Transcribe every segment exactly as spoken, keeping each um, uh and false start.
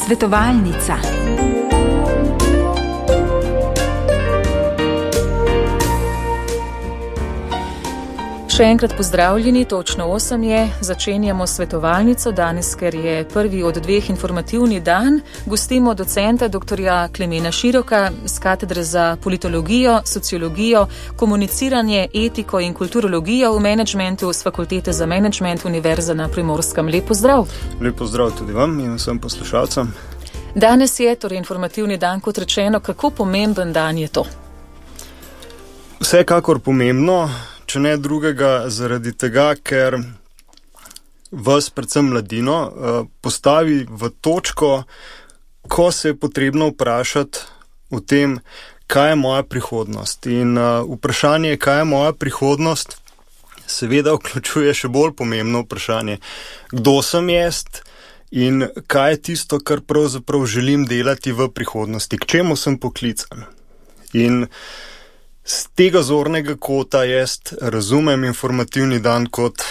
Svetovalnica. Še enkrat pozdravljeni, točno osem je, začenjamo svetovalnico danes, ker je prvi od dveh informativni dan. Gostimo docenta doktorja Klemena Široka z katedre za politologijo, sociologijo, komuniciranje, etiko in kulturologijo v menedžmentu z Fakultete za menedžment Univerze na Primorskem. Lep pozdrav. Lep pozdrav tudi vam in vsem poslušalcem. Danes je torej informativni dan, kot rečeno, kako pomemben dan je to? Vsekakor pomembno. Če ne drugega zaradi tega, ker vas, predvsem mladino, postavi v točko, ko se je potrebno vprašati o tem, kaj je moja prihodnost. In vprašanje, kaj je moja prihodnost, seveda vključuje še bolj pomembno vprašanje, kdo sem jaz in kaj je tisto, kar pravzaprav želim delati v prihodnosti, k čemu sem poklican. In z tega zornega kota jaz razumem informativni dan kot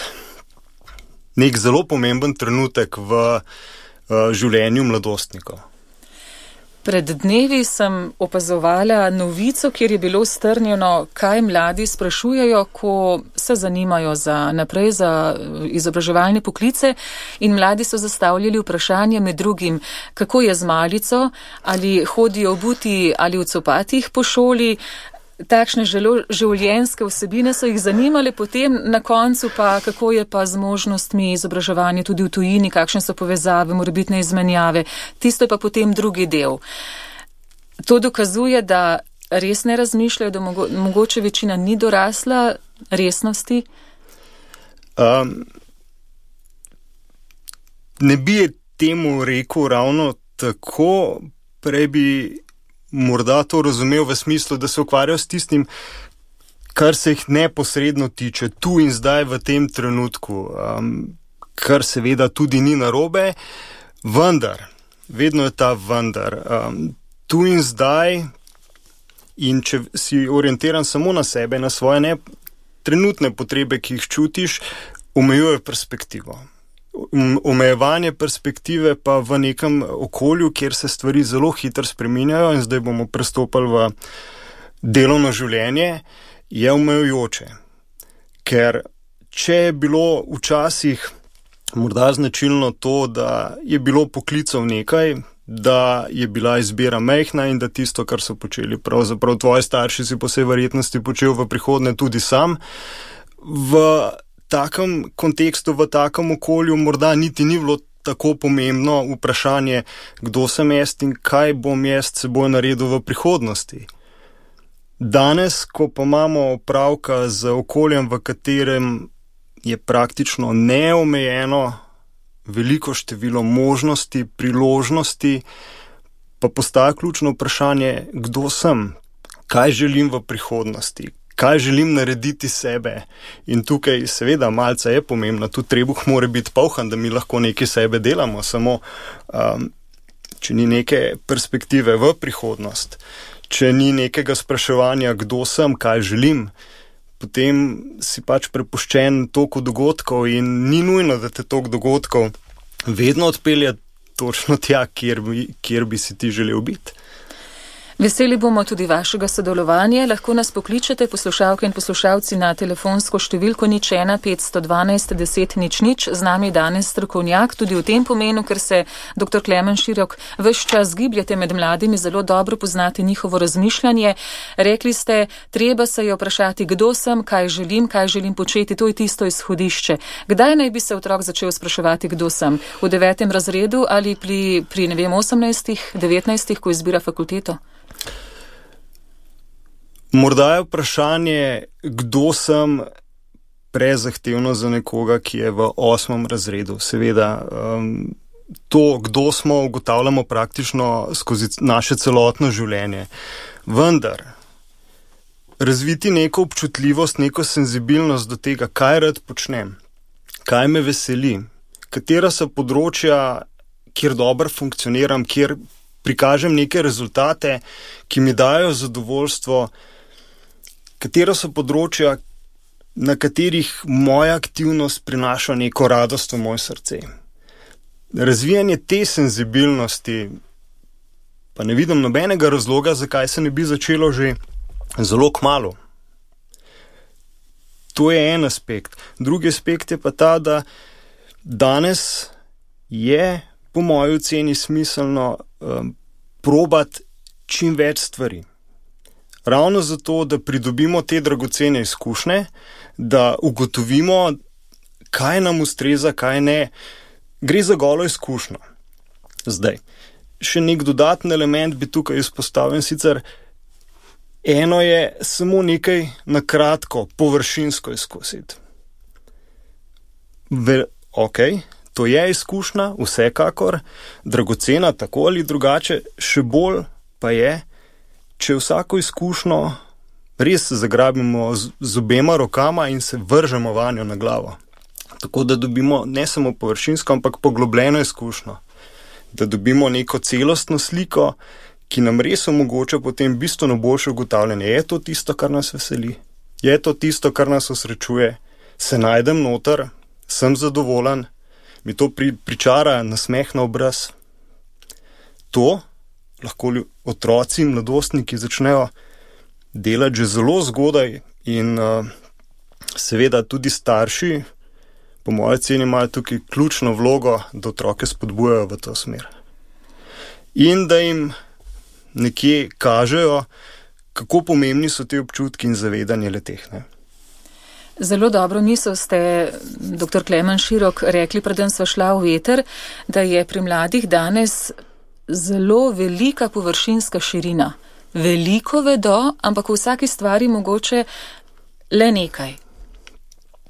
nek zelo pomemben trenutek v uh, življenju mladostnikov. Pred dnevi sem opazovala novico, kjer je bilo strnjeno, kaj mladi sprašujejo, ko se zanimajo za naprej za izobraževalne poklice, in mladi so zastavljali vprašanje med drugim, kako je z malico, ali hodijo obuti ali v copatih po šoli. Takšne življenjske vsebine so jih zanimale, potem na koncu pa, kako je pa z možnostmi izobraževanja tudi v tujini, kakšne so povezave, morebitne izmenjave. Tisto je pa potem drugi del. To dokazuje, da res ne razmišljajo, da mogo, mogoče večina ni dorasla resnosti? Um, ne bi temu rekel ravno tako, prej bi morda to razumel v smislu, da se ukvarjajo s tistim, kar se jih neposredno tiče, tu in zdaj v tem trenutku, um, kar seveda tudi ni narobe, vendar, vedno je ta vendar, um, tu in zdaj, in če si orientiran samo na sebe, na svoje ne, trenutne potrebe, ki jih čutiš, omejuje perspektivo. Omejevanje perspektive pa v nekem okolju, kjer se stvari zelo hitro spreminjajo, in zdaj bomo prestopali v delovno življenje, je omejujoče. Ker če je bilo včasih morda značilno to, da je bilo poklicov nekaj, da je bila izbira majhna in da tisto, kar so počeli pravzaprav tvoji starši, si po vsej verjetnosti počel v prihodnje tudi sam, v takem kontekstu, v takem okolju morda niti ni bilo tako pomembno vprašanje, kdo sem jaz in kaj bom jaz seboj naredil v prihodnosti. Danes, ko pa imamo opravka z okoljem, v katerem je praktično neomejeno veliko število možnosti, priložnosti, pa postaja ključno vprašanje, kdo sem, kaj želim v prihodnosti, kaj želim narediti sebe. In tukaj seveda malce je pomembno, tudi trebuh mora biti polhan, da mi lahko nekaj sebe delamo, samo um, če ni neke perspektive v prihodnost, če ni nekega spraševanja, kdo sem, kaj želim, potem si pač prepuščen toku dogodkov in ni nujno, da te tok dogodkov vedno odpelje točno tja, kjer bi, kjer bi si ti želel biti. Veseli bomo tudi vašega sodelovanja. Lahko nas pokličete, poslušalke in poslušalci, na telefonsko številko nič ena petsto dvanajst deset nič nič. Z nami danes strokovnjak, tudi v tem pomenu, ker se doktor Klemen Širok ves čas gibljete med mladimi, zelo dobro poznate njihovo razmišljanje. Rekli ste, treba se je vprašati, kdo sem, kaj želim, kaj želim početi, to je tisto izhodišče. Kdaj naj bi se otrok začel spraševati, kdo sem? V devetem razredu ali pri, pri ne vem, osemnajstih, devetnajstih, ko izbira fakulteto? Morda je vprašanje, kdo sem, prezahtevno za nekoga, ki je v osmem razredu. Seveda, um, to, kdo smo, ugotavljamo praktično skozi naše celotno življenje. Vendar, razviti neko občutljivost, neko senzibilnost do tega, kaj rad počnem, kaj me veseli, katera so področja, kjer dobro funkcioniram, kjer prikažem neke rezultate, ki mi dajo zadovoljstvo, katera so področja, na katerih moja aktivnost prinaša neko radost v moje srce. razvijanje te senzibilnosti, pa ne vidim nobenega razloga, zakaj se ne bi začelo že zelo kmalu. To je en aspekt. Drugi aspekt je pa ta, da danes je po moji oceni smiselno um, probati čim več stvari. Ravno zato, da pridobimo te dragocene izkušnje, da ugotovimo, kaj nam ustreza, kaj ne. Gre za golo izkušnjo. Zdaj, še nek dodaten element bi tukaj izpostavil, sicer eno je samo nekaj na kratko, površinsko izkusiti. Ve, ok, to je izkušnja, vsekakor, dragocena tako ali drugače, še bolj pa je, če vsako izkušnjo res zagrabimo z, z obema rokama in se vržemo vanjo na glavo. Tako da dobimo ne samo površinsko, ampak poglobljeno izkušnjo. Da dobimo neko celostno sliko, ki nam res omogoča potem bistveno boljše ugotavljanje. Je to tisto, kar nas veseli? Je to tisto, kar nas osrečuje? Se najdem noter? Sem zadovoljen? Mi to pri, pričara nasmeh na obraz? To lahko otroci in mladostniki začnejo delati že zelo zgodaj in uh, seveda tudi starši, po moje ceni, imajo tukaj ključno vlogo, da otroke spodbujajo v to smer. In da jim nekje kažejo, kako pomembni so ti občutki in zavedanje le-teh. Zelo dobro misel ste, doktor Klemen Širok, rekli, preden sva šla v veter, da je pri mladih danes zelo velika površinska širina. Veliko vedo, ampak v vsaki stvari mogoče le nekaj.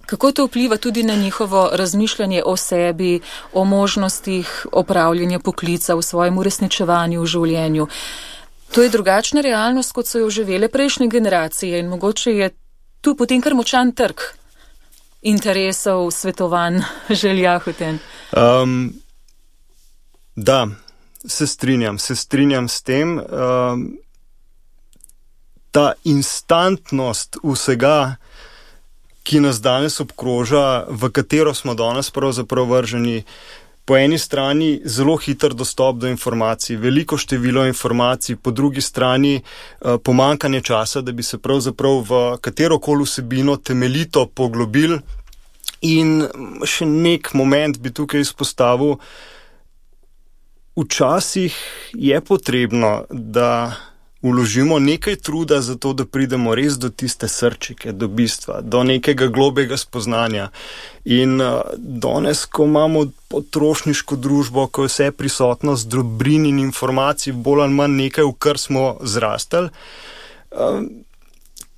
Kako to vpliva tudi na njihovo razmišljanje o sebi, o možnostih opravljanja poklica v svojem uresničevanju v življenju? To je drugačna realnost, kot so jo živele prejšnje generacije in mogoče je tu potem kar močan trg interesov, svetovanj, želja hoten. Um, da, se strinjam, se strinjam s tem. Um, ta instantnost vsega, ki nas danes obkroža, v katero smo danes pravzaprav vrženi, po eni strani zelo hiter dostop do informacij, veliko število informacij, po drugi strani eh, pomankanje časa, da bi se pravzaprav v katerokoli vsebino temeljito poglobil. In še nek moment bi tukaj izpostavil, včasih je potrebno, da vložimo nekaj truda za to, da pridemo res do tiste srčike, do bistva, do nekega globega spoznanja. In uh, danes, ko imamo potrošniško družbo, ko je vse prisotnost dobrin in informacij bolj ali manj nekaj, v kar smo zrastali, uh,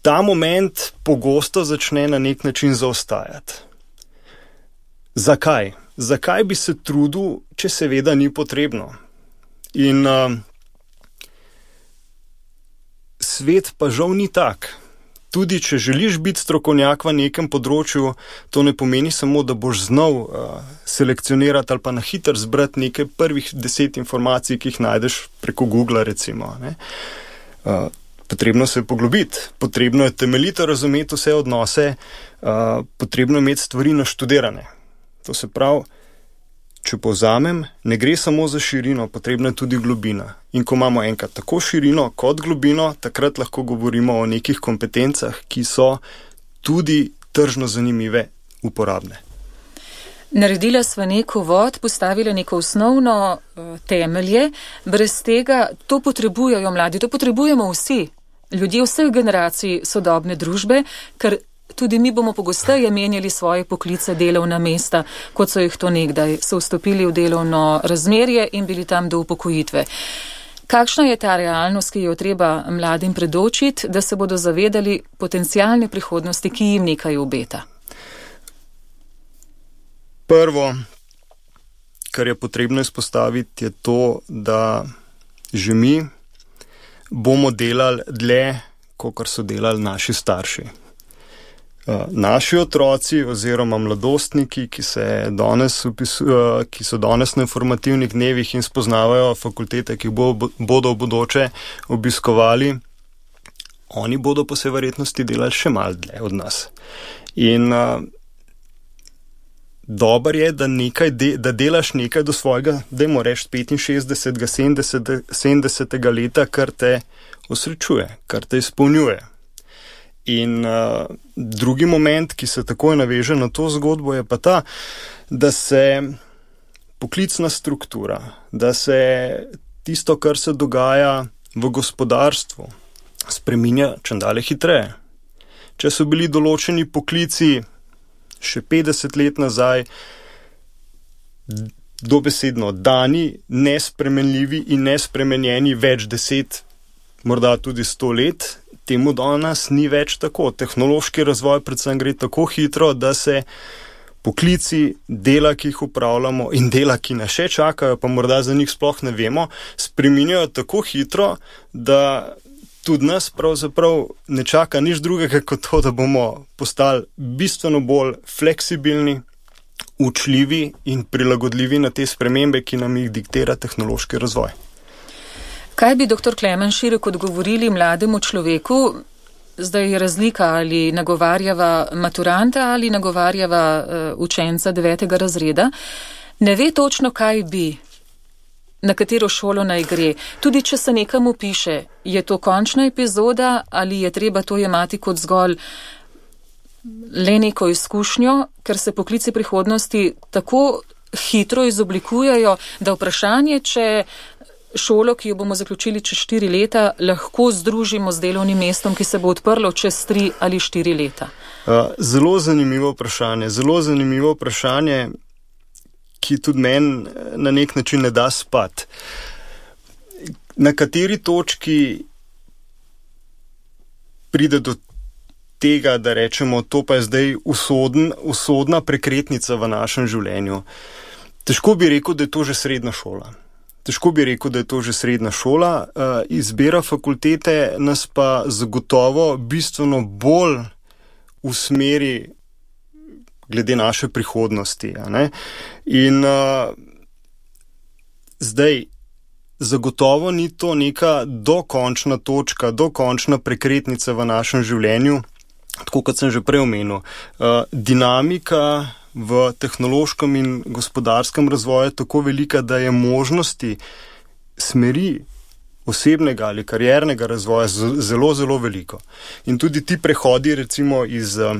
ta moment pogosto začne na nek način zaostajati. Zakaj? Zakaj bi se trudil, če seveda ni potrebno? In uh, svet pa žal ni tak. Tudi če želiš biti strokovnjak v nekem področju, to ne pomeni samo, da boš znal uh, selekcionirati ali pa na hiter zbrati nekaj prvih deset informacij, ki jih najdeš preko Google, recimo. Ne? Uh, potrebno se je poglobiti, potrebno je temeljito razumeti vse odnose, uh, potrebno je imeti stvari naštudirane. To se pravi, če povzamem, ne gre samo za širino, potrebna je tudi globina. In ko imamo enkrat tako širino kot globino, takrat lahko govorimo o nekih kompetencah, ki so tudi tržno zanimive, uporabne. Naredila sva neko vod, postavila neko osnovno uh, temelje, brez tega to potrebujejo mladi, to potrebujemo vsi, ljudje vseh generacij sodobne družbe, ker tudi mi bomo pogosteje menjali svoje poklice, delovna mesta, kot so jih to nekdaj, so vstopili v delovno razmerje in bili tam do upokojitve. Kakšna je ta realnost, ki jo treba mladim predočiti, da se bodo zavedali potencialne prihodnosti, ki jim nekaj obeta? Prvo, kar je potrebno izpostaviti, je to, da že mi bomo delali dlje, kakor so delali naši starši. Naši otroci oziroma mladostniki, ki, se danes upisujo, ki so danes na informativnih dnevih in spoznavajo fakultete, ki bo, bodo v bodoče obiskovali, oni bodo po vsej verjetnosti delali še malo dlje od nas. In Dobar je, da, nekaj de, da delaš nekaj do svojega, dajmo reči, petinšestdesetega, sedemdesetega leta, kar te osrečuje, kar te izpolnjuje. In uh, drugi moment, ki se takoj naveže na to zgodbo, je pa ta, da se poklicna struktura, da se tisto, kar se dogaja v gospodarstvu, spreminja čedalje hitreje. Če so bili določeni poklici še petdeset let nazaj dobesedno dani, nespremenljivi in nespremenjeni več deset, morda tudi sto let, temu danes ni več tako. Tehnološki razvoj predvsem gre tako hitro, da se poklici, dela, ki jih upravljamo in dela, ki nas še čakajo, pa morda za njih sploh ne vemo, spreminjajo tako hitro, da tudi nas pravzaprav ne čaka nič drugega kot to, da bomo postali bistveno bolj fleksibilni, učljivi in prilagodljivi na te spremembe, ki nam jih diktira tehnološki razvoj. Kaj bi doktor Klemen Širok odgovorili mlademu človeku? Zdaj je razlika, ali nagovarjava maturanta ali nagovarjava uh, učenca devetega razreda. Ne ve točno, kaj bi, na katero šolo naj gre. Tudi če se nekam piše, je to končna epizoda ali je treba to jemati kot zgolj le neko izkušnjo, ker se poklici prihodnosti tako hitro izoblikujejo, da vprašanje, če šolo, ki jo bomo zaključili čez štiri leta, lahko združimo z delovnim mestom, ki se bo odprlo čez tri ali štiri leta. Zelo zanimivo vprašanje. Zelo zanimivo vprašanje, ki tudi meni na nek način ne da spati. Na kateri točki pride do tega, da rečemo, to pa je zdaj usodn, usodna prekretnica v našem življenju? Težko bi rekel, da je to že srednja šola. Težko bi rekel, da je to že srednja šola. Izbira fakultete nas pa zagotovo bistveno bolj usmeri glede naše prihodnosti. A ne? In uh, zdaj, zagotovo ni to neka dokončna točka, dokončna prekretnica v našem življenju, tako kot sem že prej omenil. Uh, dinamika v tehnološkem in gospodarskem razvoju je tako velika, da je možnosti smeri osebnega ali kariernega razvoja zelo, zelo veliko. In tudi ti prehodi recimo iz uh,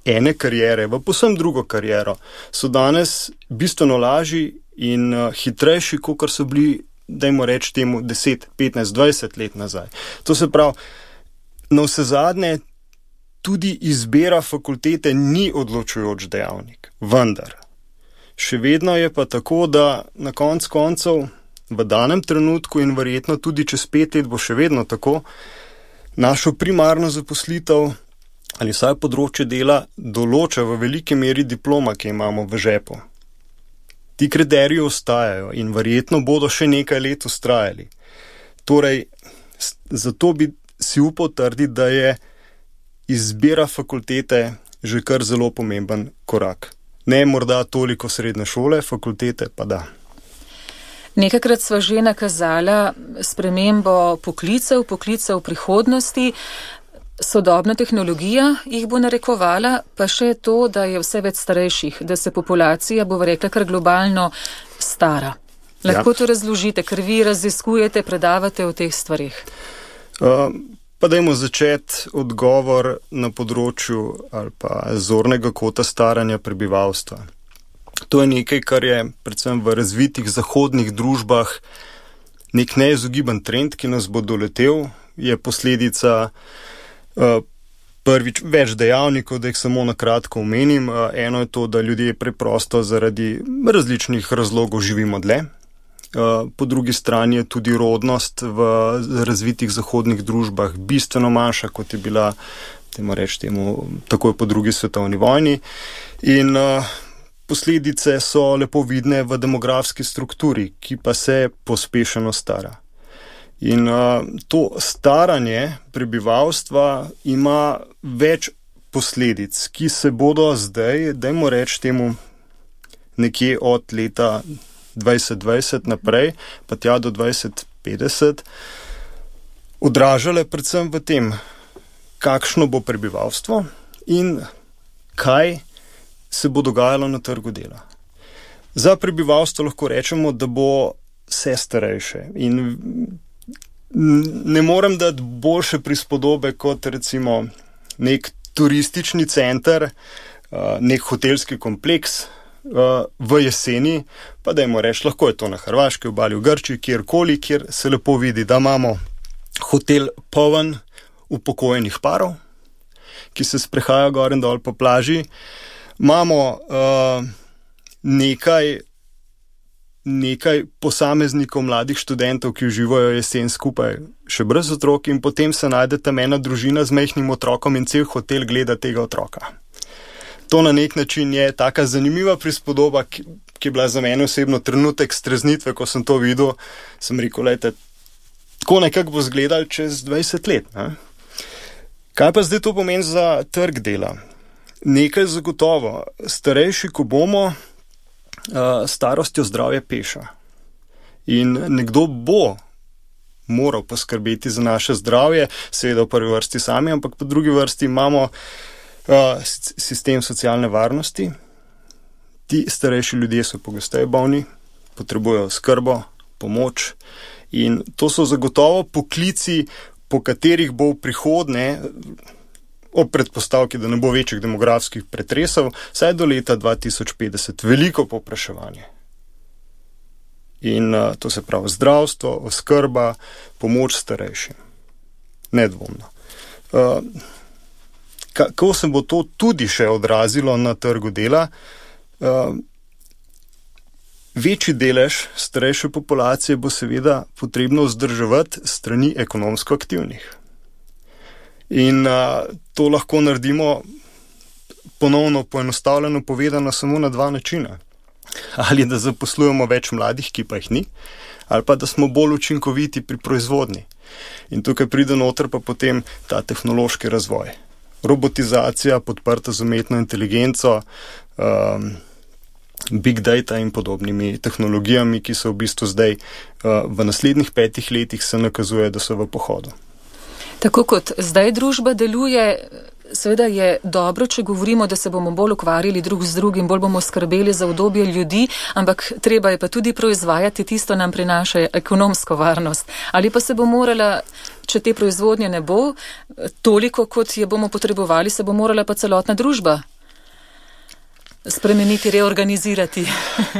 ene karijere v povsem drugo kariero so danes bistveno lažji in uh, hitrejši, kot so bili, dajmo reči temu, deset, petnajst, dvajset let nazaj. To se pravi, na vse zadnje tudi izbira fakultete ni odločujoč dejavnik, vendar. Še vedno je pa tako, da na konc koncev v danem trenutku in verjetno tudi čez pet let bo še vedno tako, našo primarno zaposlitev ali vsaj področje dela določa v veliki meri diploma, ki imamo v žepu. Ti kriteriji ostajajo in verjetno bodo še nekaj let vztrajali. Torej, zato bi si upal trditi, da je izbira fakultete že kar zelo pomemben korak. Ne morda toliko srednje šole, fakultete pa da. Nekakrat sva že nakazala spremembo poklicev, poklicev prihodnosti. Sodobna tehnologija jih bo narekovala, pa še to, da je vse več starejših, da se populacija, bo rekla, kar globalno stara. Lahko ja. To razložite, ker vi raziskujete, predavate o teh stvarih. Uh, pa dajmo začeti odgovor na področju ali pa zornega kota staranja prebivalstva. To je nekaj, kar je predvsem v razvitih zahodnih družbah nek neizogiben trend, ki nas bo doletel, je posledica Uh, prvič več dejavnikov, da jih samo na kratko omenim. Uh, eno je to, da ljudje preprosto zaradi različnih razlogov živimo dlje. Uh, po drugi strani je tudi rodnost v razvitih zahodnih družbah bistveno manjša, kot je bila, temu reči temu, takoj po drugi svetovni vojni. In uh, posledice so lepo vidne v demografski strukturi, ki pa se pospešeno stara. In uh, to staranje prebivalstva ima več posledic, ki se bodo zdaj, dajmo reči temu, nekje od leta dvajset dvajset naprej, pa tja do dvajset petdeset, odražale predvsem v tem, kakšno bo prebivalstvo in kaj se bo dogajalo na trgu dela? Za prebivalstvo lahko rečemo, da bo vse starejše in ne morem dati boljše prispodobe kot recimo nek turistični center, nek hotelski kompleks v jeseni, pa dajmo reči, lahko je to na Hrvaški obali, v Grčiji, kjerkoli, kjer se lepo vidi, da imamo hotel poln upokojenih parov, ki se sprehajajo gor in dol po plaži. Imamo uh, nekaj, nekaj posameznikov, mladih študentov, ki uživajo jesen skupaj še brez otrok in potem se najde tam ena družina z majhnim otrokom in cel hotel gleda tega otroka. To na nek način je taka zanimiva prispodoba, ki, ki je bila za mene osebno trenutek streznitve, ko sem to videl, sem rekel, lejte, tako nekako bo izgledalo čez dvajset let. Ne? Kaj pa zdaj to pomeni za trg dela? Nekaj zagotovo. Starejši, ko bomo, starostjo zdravje peša. In nekdo bo moral poskrbeti za naše zdravje, seveda v prvi vrsti sami, ampak po drugi vrsti imamo sistem socialne varnosti. Ti starejši ljudje so pogosteje bolni, potrebujejo skrbo, pomoč in to so zagotovo poklici, po katerih bo v prihodnje, ob predpostavki, da ne bo večjih demografskih pretresov, vsaj do leta dva tisoč petdeset veliko povpraševanje. In uh, to se pravi zdravstvo, oskrba, pomoč starejšim. Nedvomno. Uh, kako se bo to tudi še odrazilo na trgu dela? Uh, večji delež starejše populacije bo seveda potrebno vzdrževati strani ekonomsko aktivnih. In uh, to lahko naredimo ponovno poenostavljeno povedano samo na dva načina. Ali da zaposlujemo več mladih, ki pa jih ni, ali pa da smo bolj učinkoviti pri proizvodnji. In tukaj pride noter pa potem ta tehnološki razvoj. Robotizacija podprta z umetno inteligenco, um, big data in podobnimi tehnologijami, ki so v bistvu zdaj uh, v naslednjih petih letih se nakazuje, da so v pohodu. Tako kot zdaj družba deluje, seveda je dobro, če govorimo, da se bomo bolj ukvarjali drug z drugim, bolj bomo skrbeli za udobje ljudi, ampak treba je pa tudi proizvajati tisto, nam prinaša ekonomsko varnost. Ali pa se bo morala, če te proizvodnje ne bo, toliko, kot je bomo potrebovali, se bo morala pa celotna družba spremeniti, reorganizirati.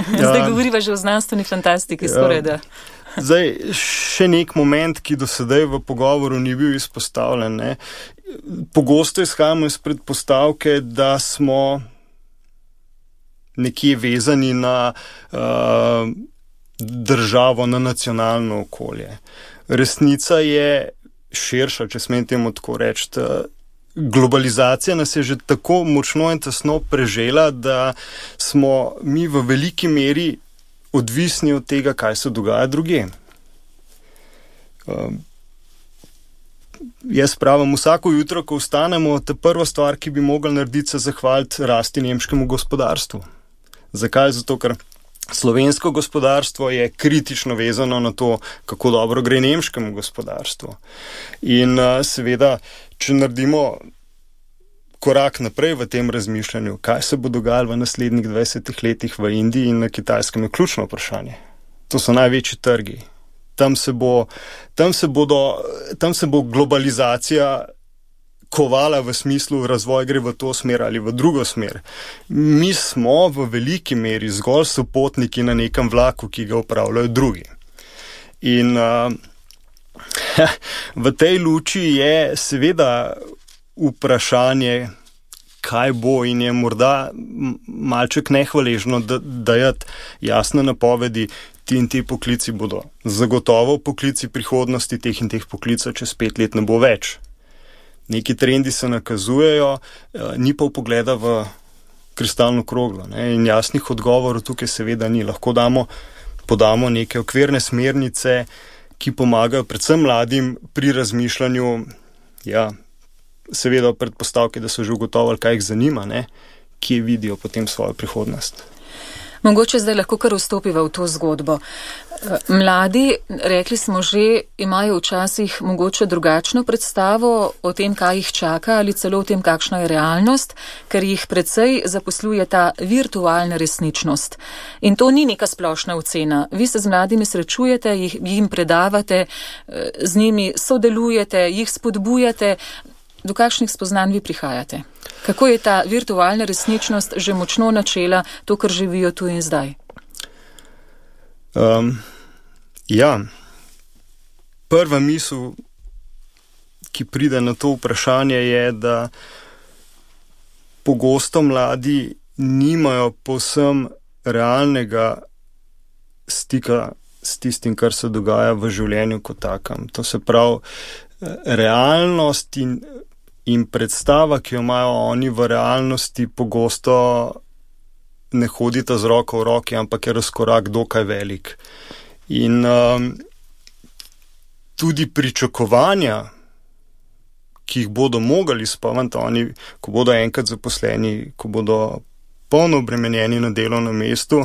Zdaj ja. Govoriva že o znanstveni fantastiki, ja. Skoraj da. Zdaj, še nek moment, ki do sedaj v pogovoru ni bil izpostavljen. Ne? Pogosto izhajamo iz predpostavke, da smo nekje vezani na uh, državo, na nacionalno okolje. Resnica je širša, če smem temu tako reči. Globalizacija nas je že tako močno in tesno prežela, da smo mi v veliki meri odvisni od tega, kaj se dogaja drugje. Uh, jaz pravim, vsako jutro, ko vstanemo, ta prva stvar, ki bi mogli narediti, se zahvaliti rasti nemškemu gospodarstvu. Zakaj? Zato, ker slovensko gospodarstvo je kritično vezano na to, kako dobro gre nemškemu gospodarstvu. In uh, seveda, če naredimo korak naprej v tem razmišljanju, kaj se bo dogajalo v naslednjih dvajsetih letih v Indiji in na Kitajskem, je ključno vprašanje. To so največji trgi. Tam se bo, tam se bodo, tam se bo globalizacija kovala v smislu razvoj gre v to smer ali v drugo smer. Mi smo v veliki meri zgolj sopotniki na nekem vlaku, ki ga upravljajo drugi. In uh, v tej luči je seveda vprašanje, kaj bo, in je morda malček nehvaležno dajati jasne napovedi, ti in ti poklici bodo zagotovo poklici prihodnosti, teh in teh poklicov čez pet let ne bo več. Neki trendi se nakazujejo, ni pa vpogleda v kristalno kroglo, ne? In jasnih odgovorov tukaj seveda ni. Lahko damo, podamo neke okvirne smernice, ki pomagajo predvsem mladim pri razmišljanju, ja, seveda v predpostavki, da so že ugotovili, kaj jih zanima, ne? Kje vidijo potem svojo prihodnost. Mogoče zdaj lahko kar vstopiva v to zgodbo. Mladi, rekli smo že, imajo včasih mogoče drugačno predstavo o tem, kaj jih čaka ali celo o tem, kakšna je realnost, ker jih precej zaposluje ta virtualna resničnost. In to ni neka splošna ocena. Vi se z mladimi srečujete, jih, jim predavate, z njimi sodelujete, jih spodbujate. Do kakšnih spoznanj vi prihajate? Kako je ta virtualna resničnost že močno načela to, kar živijo tu in zdaj? Um, ja, prva misel, ki pride na to vprašanje, je, da pogosto mladi nimajo povsem realnega stika s tistim, kar se dogaja v življenju kot takem. To se pravi, realnost in In predstava, ki jo imajo oni v realnosti, pogosto ne hodita z roko v roki, ampak je razkorak dokaj velik. In um, tudi pričakovanja, ki jih bodo mogli izpolniti oni, ko bodo enkrat zaposleni, ko bodo polno obremenjeni na delovnem mestu,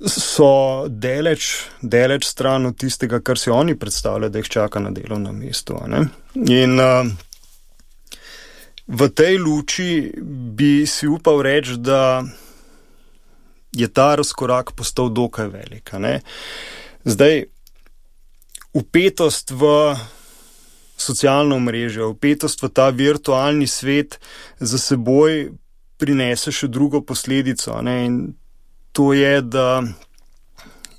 so deleč, deleč stran od tistega, kar si oni predstavljajo, da jih čaka na delovnem mestu. Ne? In uh, v tej luči bi si upal reči, da je ta razkorak postal dokaj velik. Ne? Zdaj, vpetost v socialno mrežo, vpetost v ta virtualni svet za seboj prinese še drugo posledico. Ne? In to je, da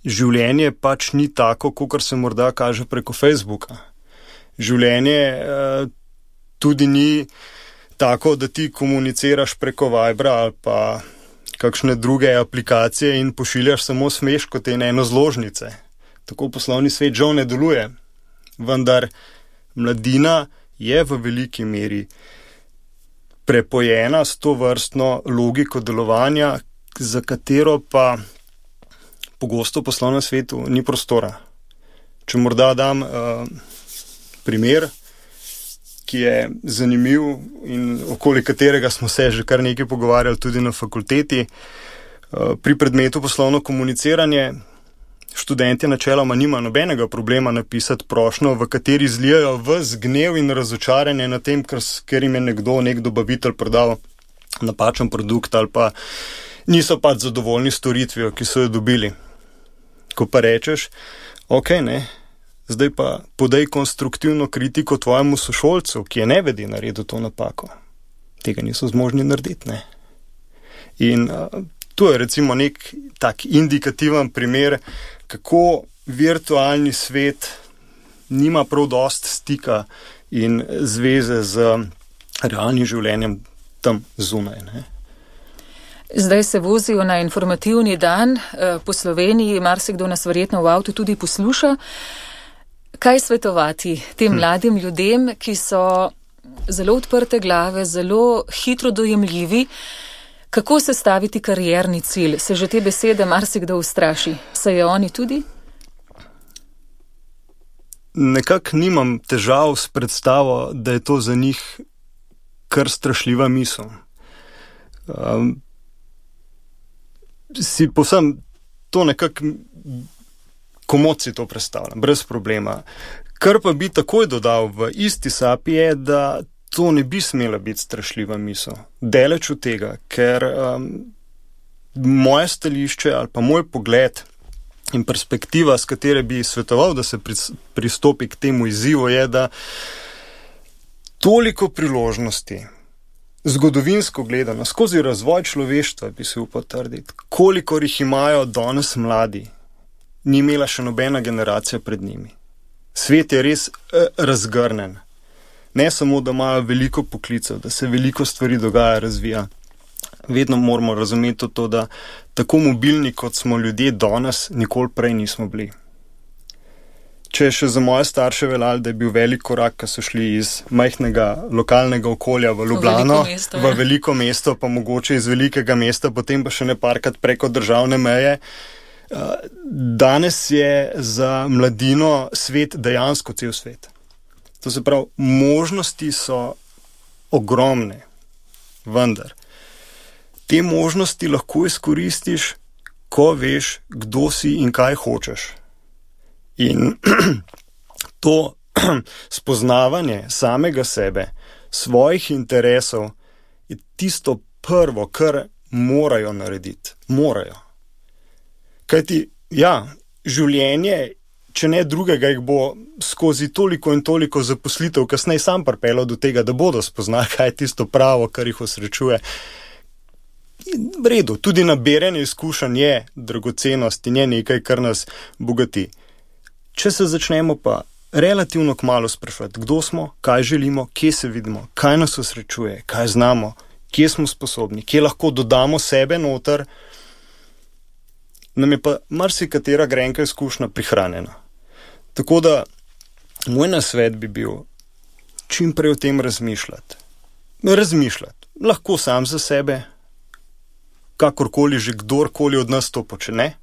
življenje pač ni tako, kakor se morda kaže preko Facebooka. Življenje eh, tudi ni tako, da ti komuniciraš preko Vibra ali pa kakšne druge aplikacije in pošiljaš samo smeškote in eno zložnice. Tako poslovni svet žal ne deluje. Vendar mladina je v veliki meri prepojena s to vrstno logiko delovanja, za katero pa pogosto v poslovnem svetu ni prostora. Če morda dam uh, primer, ki je zanimiv in okoli katerega smo se že kar nekaj pogovarjali tudi na fakulteti. Pri predmetu poslovno komuniciranje študentje načeloma nima nobenega problema napisati prošnjo, v kateri zlijajo ves gnev in razočaranje na tem, ker jim je nekdo, nek dobavitelj prodal napačen produkt ali pa niso pač zadovoljni storitvijo, ki so jo dobili. Ko pa rečeš, ok, ne, zdaj pa podaj konstruktivno kritiko tvojemu sošolcu, ki je nevedi naredil to napako. Tega niso zmožni narediti, ne. In uh, tu je recimo nek tak indikativen primer, kako virtualni svet nima prav dost stika in zveze z realnim življenjem tam zunaj, ne. Zdaj se vozijo na informativni dan po Sloveniji, marsikdo nas verjetno v avtu tudi posluša. Kaj svetovati tem mladim ljudem, ki so zelo odprte glave, zelo hitro dojemljivi, kako sestaviti karierni cilj? Se že te besede marsikdo ustraši? Se je oni tudi? Nekako nimam težav s predstavo, da je to za njih kar strašljiva misel. Um, si povsem to nekako komod si to predstavljam, brez problema. Kar pa bi takoj dodal v isti sapi je, da to ne bi smela biti strašljiva misel. Daleč od tega, ker um, moje stališče ali pa moj pogled in perspektiva, s katere bi svetoval, da se pristopi k temu izzivu, je, da toliko priložnosti, zgodovinsko gledano, skozi razvoj človeštva, bi se upal trditi, kolikor jih imajo danes mladi, ni imela še nobena generacija pred njimi. Svet je res eh, razgrnen. Ne samo, da imajo veliko poklicev, da se veliko stvari dogaja, razvija. Vedno moramo razumeti to, da tako mobilni, kot smo ljudje danes, nikoli prej nismo bili. Če je še za moje starše veljalo, da je bil velik korak, ko so šli iz majhnega lokalnega okolja v Ljubljano, v veliko mesto, v veliko mesto pa mogoče iz velikega mesta, potem pa še ne parkrat preko državne meje. Danes je za mladino svet dejansko cel svet. To se pravi, možnosti so ogromne, vendar te možnosti lahko izkoristiš ko veš, kdo si in kaj hočeš. In to spoznavanje samega sebe, svojih interesov, je tisto prvo, kar morajo narediti. Morajo. Kajti, ja, življenje, če ne drugega, jih bo skozi toliko in toliko zaposlitev kasneje sam pripeljal do tega, da bodo spoznali, kaj je tisto pravo, kar jih osrečuje. V redu, tudi nabiranje izkušenj je dragocenost in je nekaj, kar nas bogati. Če se začnemo pa relativno kmalu spraševati, kdo smo, kaj želimo, kje se vidimo, kaj nas osrečuje, kaj znamo, kje smo sposobni, kje lahko dodamo sebe noter, nam je pa marsikatera grenka izkušnja prihranjena. Tako da moj nasvet bi bil čim prej o tem razmišljati. Razmišljati. Lahko sam za sebe, kakorkoli že kdorkoli od nas to počne,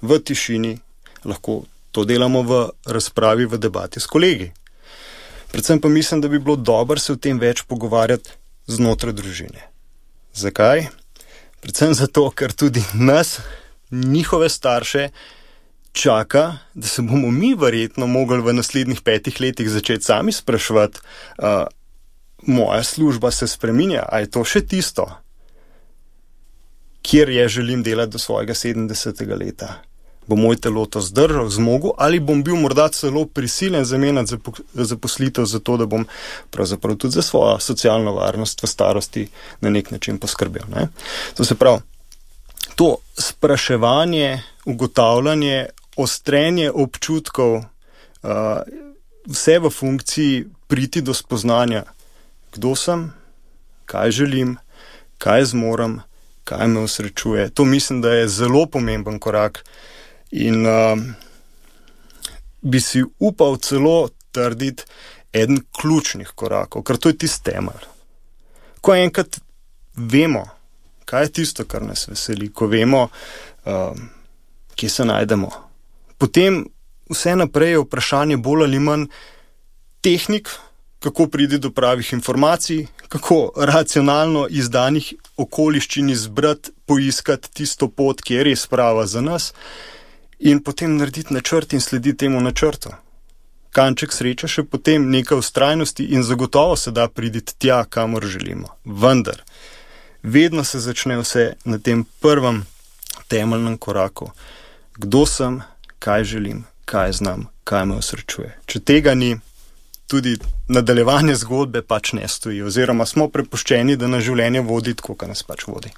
v tišini, lahko to delamo v razpravi, v debati s kolegi. Predvsem pa mislim, da bi bilo dobro se o tem več pogovarjati znotraj družine. Zakaj? Predvsem zato, ker tudi nas, njihove starše, čaka, da se bomo mi verjetno mogli v naslednjih petih letih začeti sami spraševati, uh, moja služba se spreminja, a je to še tisto, kjer je želim delati do svojega sedemdesetega leta. Bo moj telo to zdržal, zmogel, ali bom bil morda celo prisiljen zamenjati zaposlitev za to, da bom pravzaprav tudi za svojo socialno varnost v starosti na nek način poskrbel. Ne? To se pravi, to spraševanje, ugotavljanje, ostrenje občutkov, uh, vse v funkciji priti do spoznanja, kdo sem, kaj želim, kaj zmorem, kaj me osrečuje. To mislim, da je zelo pomemben korak. In uh, bi si upal celo trditi eden ključnih korakov, ker to je tisti temelj. Ko enkrat vemo, kaj je tisto, kar nas veseli, ko vemo, uh, kje se najdemo, potem vse naprej je vprašanje bolj ali manj tehnik, kako priti do pravih informacij, kako racionalno iz danih okoliščin izbrati, poiskati tisto pot, ki je res prava za nas, in potem narediti načrt in slediti temu načrtu. Kanček sreče še potem nekaj vztrajnosti in zagotovo se da priditi tja, kamor želimo. Vendar, vedno se začne vse na tem prvem temeljnem koraku. Kdo sem, kaj želim, kaj znam, kaj me osrečuje. Če tega ni, tudi nadaljevanje zgodbe pač ne stoji, oziroma smo prepuščeni, da nas življenje vodi tako, kot nas pač vodi.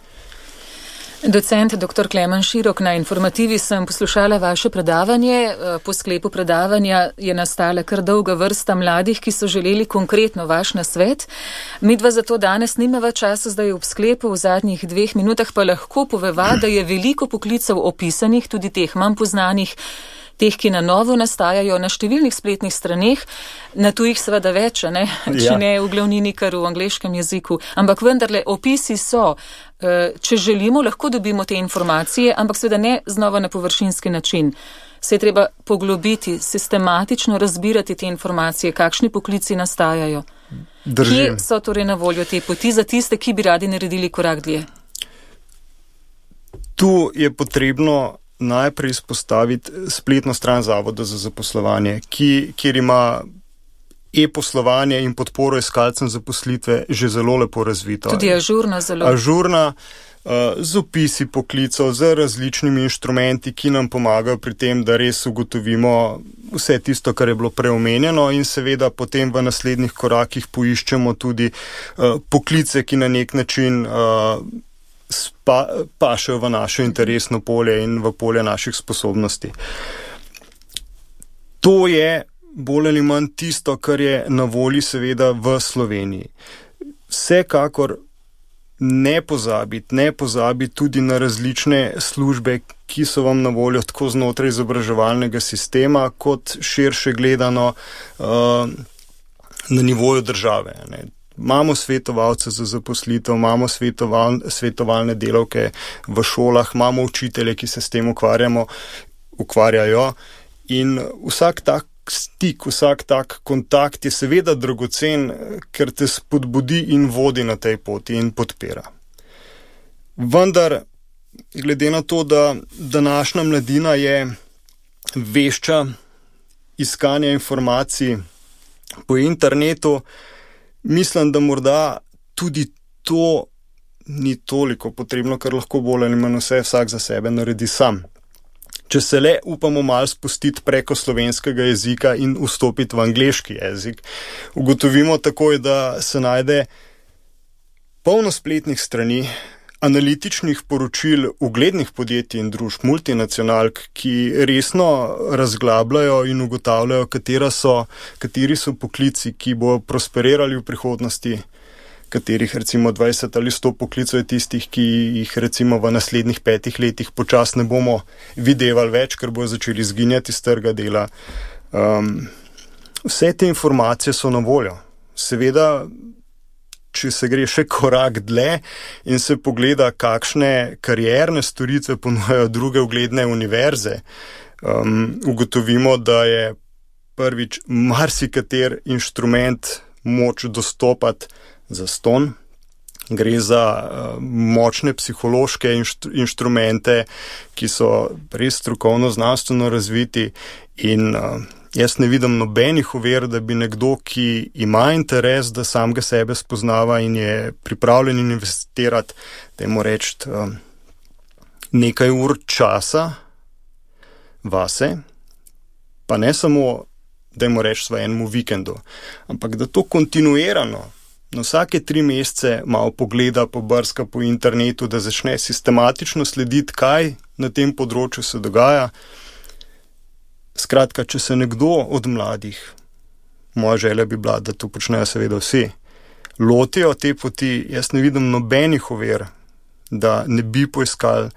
Docent doktor Klemen Širok, na Informativi sem poslušala vaše predavanje. Po sklepu predavanja je nastala kar dolga vrsta mladih, ki so želeli konkretno vaš nasvet. Midva zato danes nimava časa, zdaj ob sklepu, v zadnjih dveh minutah pa lahko poveva, da je veliko poklicev opisanih, tudi teh manj poznanih, teh, ki na novo nastajajo na številnih spletnih straneh, na tujih seveda več, ne? Če ja. ne v glavnini, kar v angleškem jeziku. Ampak vendarle, opisi so, če želimo, lahko dobimo te informacije, ampak seveda ne znova na površinski način. Se je treba poglobiti, sistematično razbirati te informacije, kakšni poklici nastajajo. Držim. Kje so torej na voljo te poti za tiste, ki bi radi naredili korak dlje? Tu je potrebno najprej izpostaviti spletno stran Zavoda za zaposlovanje, ki, kjer ima e-poslovanje in podporo iskalcem zaposlitve že zelo lepo razvito. Tudi ažurna zelo. Ažurna, uh, z opisi poklicov, z različnimi inštrumenti, ki nam pomagajo pri tem, da res ugotovimo vse tisto, kar je bilo preomenjeno, in seveda potem v naslednjih korakih poiščemo tudi uh, poklice, ki na nek način uh, Spa, pašejo v naše interesno polje in v polje naših sposobnosti. To je bolj ali manj tisto, kar je na volji seveda v Sloveniji. Vsekakor ne pozabiti, ne pozabiti tudi na različne službe, ki so vam na voljo tako znotraj izobraževalnega sistema, kot širše gledano uh, na nivoju države, ne. Imamo svetovalce za zaposlitev, imamo svetoval, svetovalne delavke v šolah, imamo učitelje, ki se s tem ukvarjamo, ukvarjajo, in vsak tak stik, vsak tak kontakt je seveda dragocen, ker te spodbudi in vodi na tej poti in podpira. Vendar glede na to, da današnja mladina je vešča iskanja informacij po internetu, mislim, da morda tudi to ni toliko potrebno, ker lahko bolj ali manj vse vsak za sebe naredi sam. Če se le upamo malo spustiti preko slovenskega jezika in vstopiti v angleški jezik, ugotovimo takoj, da se najde polno spletnih strani, analitičnih poročil uglednih podjetij in družb, multinacionalk, ki resno razglabljajo in ugotavljajo, katera so, kateri so poklici, ki bodo prosperirali v prihodnosti, katerih recimo dvajset ali sto poklicov je tistih, ki jih recimo v naslednjih petih letih počas ne bomo videvali več, ker bodo začeli izginjati iz trga dela. Um, vse te informacije so na voljo. Seveda, če se gre še korak dlje in se pogleda, kakšne karierne storitve ponujajo druge ugledne univerze, um, ugotovimo, da je prvič marsikater inštrument moč dostopati zastonj. Gre za uh, močne psihološke inštru- inštrumente, ki so res strokovno znanstveno razviti in uh, jaz ne vidim nobenih ovir, da bi nekdo, ki ima interes, da samega sebe spoznava in je pripravljen investirati, dajmo reči, uh, nekaj ur časa vase, pa ne samo, dajmo reči, v enemu vikendu, ampak da to kontinuirano na vsake tri mesece malo pogleda, pobrska po internetu, da začne sistematično slediti, kaj na tem področju se dogaja. Skratka, če se nekdo od mladih, moja želja bi bila, da to počnejo seveda vsi, lotijo te poti, jaz ne vidim nobenih ovir, da ne bi poiskali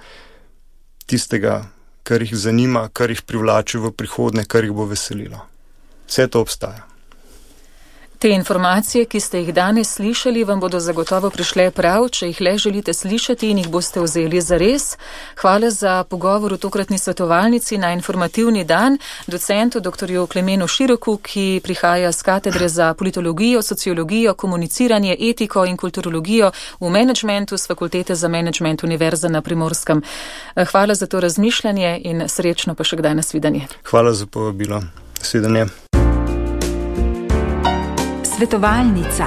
tistega, kar jih zanima, kar jih privlači v prihodnje, kar jih bo veselilo. Vse to obstaja. Te informacije, ki ste jih danes slišali, vam bodo zagotovo prišle prav, če jih le želite slišati in jih boste vzeli zares. Hvala za pogovor v tokratni svetovalnici na informativni dan docentu doktorju Klemenu Široku, ki prihaja z katedre za politologijo, sociologijo, komuniciranje, etiko in kulturologijo v menedžmentu s Fakultete za menedžment Univerze na Primorskem. Hvala za to razmišljanje in srečno pa še kdaj nasvidenje. Hvala za povabilo. Nasvidenje. Svetovalnica.